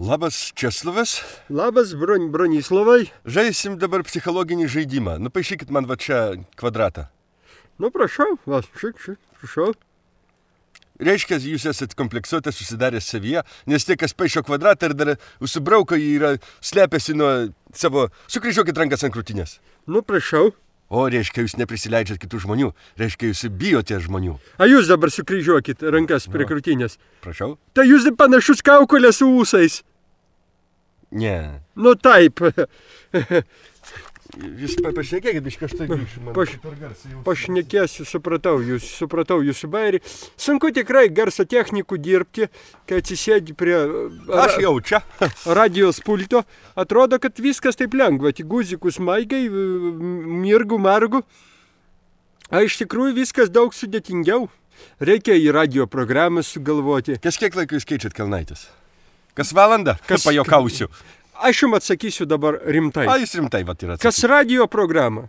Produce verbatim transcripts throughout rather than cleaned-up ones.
Labas, Česlovas. Labas, Bron, Bronislavai. Žaisim dabar psichologinį žaidimą. Nupaišykit man va čia kvadratą. Nu, prašau, va, šik, šik, prašau. Reiškia, jūs esat kompleksuotas, susidaręs savyje, nes tie, kas paišo kvadratą ir dar užsibrauko, jį yra slepiasi nuo savo... Sukryžiuokit rankas ant krūtinės. Nu, prašau. O, reiškia, jūs neprisileidžiat kitų žmonių. Reiškia, jūs bijote žmonių. A jūs dabar sukryžiuokit rankas prie krūtinės. Prašau. Tai jūs panašus kaukolė su ūsais. Ne. Nu, taip. Jūs pašnekėkit, biškai aš tai grįšiu. Paš, pašnekėsiu, supratau, jūs, supratau jūsų bairį. Sunku tikrai garso technikų dirbti, kai atsisėdi prie Aš jau čia. radijos pulto. Atrodo, kad viskas taip lengva, tik guzikus maigai, mirgu, margu. A iš tikrųjų viskas daug sudėtingiau. Reikia į radio programą sugalvoti. Kas kiek laiko jūs keičiat kelnaites? Kas valandą? Kas pajokausiu? Aš jums atsakysiu dabar rimtai. A, jūs rimtai vat yra. Kas radio programa?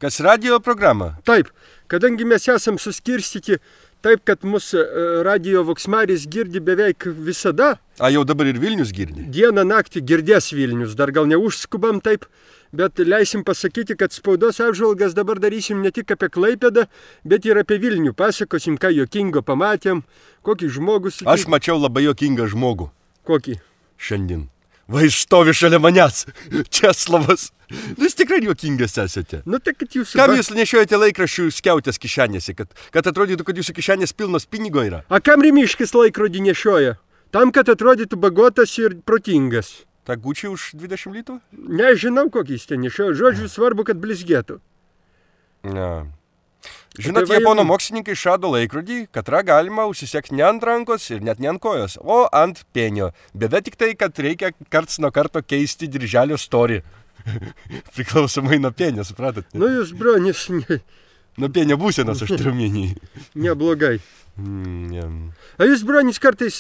Kas radio programa? Taip, kadangi mes esam suskirstyti taip, kad mūsų radio voksmaris girdi beveik visada. A, jau dabar ir Vilnius girdi? Dieną naktį girdės Vilnius, dar gal neužskubam taip, bet leisim pasakyti, kad spaudos apžvalgas dabar darysim ne tik apie Klaipėdą, bet ir apie Vilnių. Pasakosim, ką juokingo pamatėm, kokį žmogų sutikėm. Aš mačiau labai juokingą žmogų. Kokį? Šiandien. Va, jis stovi šalia manęs. Česlovas. Jūs tikrai juokingas esate. Nu, tai kad jūs... Kam jūs nešiojate laikraščių skiautės kišenėse, kad, kad atrodytų, kad jūsų kišenės pilnos pinigo yra? A kam Rimiškis laikrodį nešioja? Tam, kad atrodytų bagotas ir protingas. Ta Gucci už dvidešimt litų? Nežinau, kokį jis ten nešioja. Žodžiu, svarbu, kad blizgėtų. Ne. Žinot, tai japono va... mokslininkai išrado laikrodį, katrą galima užsisekti ne ant rankos ir net ne ant kojos, o ant penio. Bėda tik tai, kad reikia karts nuo karto keisti dirželio storį. Priklausomai nuo penio, supratot? Nu, jūs, Bronis, ne... Nuo penio būsenos aš turiu menį. Neblogai. Mm, yeah. A jūs, Bronis, kartais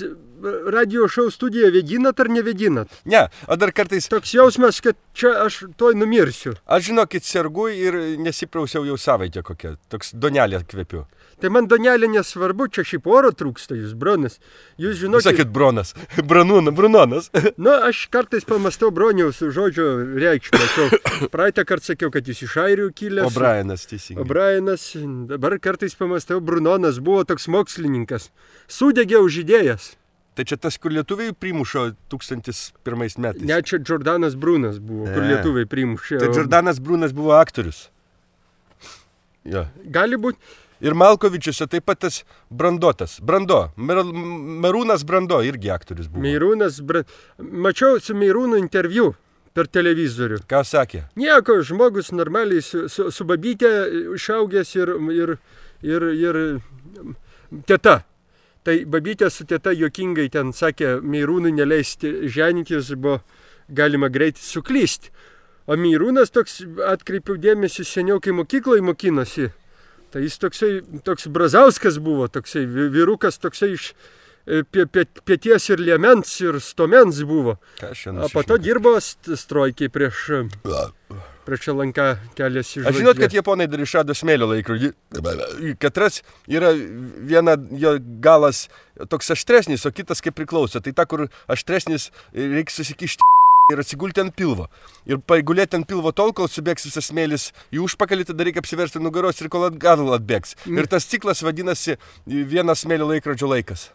radio šou studiją vedinat ar nevedinat? Ne, o dar kartais... Toks jausmas, kad čia aš toj numirsiu. Aš žinokit, sergu ir nesiprausiau jau savaitę kokią. Toks donelė kvepiu. Tai man donelė nesvarbu, čia šiaip oro trūksta jūs, Bronis. Jūs žinokit... Sakėt Bronas. Branūna, Brunonas. Nu, aš kartais pamastau Broniaus žodžio reikšmę. Praeitą kartą sakiau, kad jūs iš Airių kilęs. O Brianas, teisingai. O Brianas, dabar kartais pamastau, Brunonas buvo toks mokslininkas. Sudegė už idėjas. Tai čia tas, kur lietuviai primušo tūkstantis pirmais metais. Ne, čia Jordanas Brunas buvo, ne. Kur lietuviai primušė. Tai Jordanas Brunas buvo aktorius. Ja. Gali būti. Ir Malkovičiuose taip pat tas Brandotas. Brando. Mer, Merūnas Brando irgi aktorius buvo. Merūnas Brando. Mačiau su Merūnu interviu per televizorių. Ką sakė? Nieko, žmogus normaliai su, su, su babytė išaugęs ir, ir, ir, ir teta. Tai babytė su teta juokingai ten sakė, Merūnui neleisti ženytis, buvo galima greitai suklysti. O Merūnas toks, atkreipiau dėmesį, seniau, kai mokykloje mokinosi, tai jis toksai, toks Brazauskas buvo, toksai vyrukas, toksai iš pieties ir liemens ir stomens buvo. O po to dirbo strojkiai prieš, prieš Lanką keliasi žvaigždė. Aš žinot, kad japonai dar išrado smėlio laikrodį. Katras yra viena jo galas toks aštresnis, o kitas kaip priklauso. Tai ta, kur aštresnis, reikia susikišti ir atsigulti ant pilvo. Ir paigulėti ant pilvo tol, kol subėgs visas smėlis į užpakalį, tada reikia apsiversti nugaros ir kol atgal atbėgs. Ir tas ciklas vadinasi vienas smėlio laikrodžio laikas.